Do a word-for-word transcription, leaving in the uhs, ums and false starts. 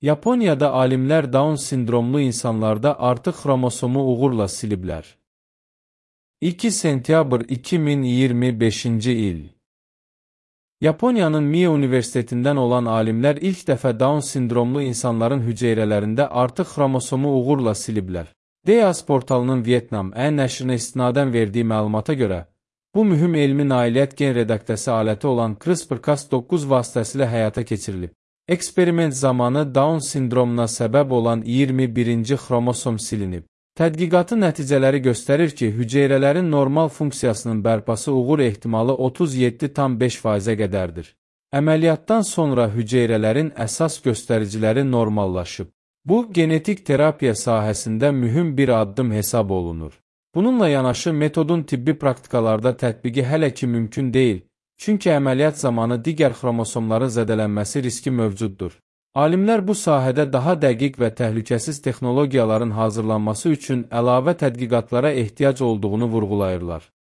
Yaponiyada alimlər Down sindromlu insanlarda artıq xromosomu uğurla siliblər. iki sentyabr iki min iyirmi beşinci il. Yaponiyanın Mie Universitetindən olan alimlər ilk dəfə Down sindromlu insanların hüceyrələrində artıq xromosomu uğurla siliblər. Deas portalının Vietnam Ə nəşrinə istinadən verdiyi məlumata görə, bu mühüm elmi nailiyyət gen redaktəsi aləti olan CRISPR Cas doqquz vasitəsilə həyata keçirilib. Eksperiment zamanı Down sindromuna səbəb olan iyirmi birinci xromosom silinib. Tədqiqatın nəticələri göstərir ki, hüceyrələrin normal funksiyasının bərpası uğur ehtimalı otuz yeddi tam beş faizə qədərdir. Əməliyyatdan sonra hüceyrələrin əsas göstəriciləri normallaşıb. Bu, genetik terapiya sahəsində mühüm bir addım hesab olunur. Bununla yanaşı, metodun tibbi praktikalarda tətbiqi hələ ki mümkün deyil, çünki əməliyyat zamanı digər xromosomların zədələnməsi riski mövcuddur. Alimlər bu sahədə daha dəqiq və təhlükəsiz texnologiyaların hazırlanması üçün əlavə tədqiqatlara ehtiyac olduğunu vurğulayırlar.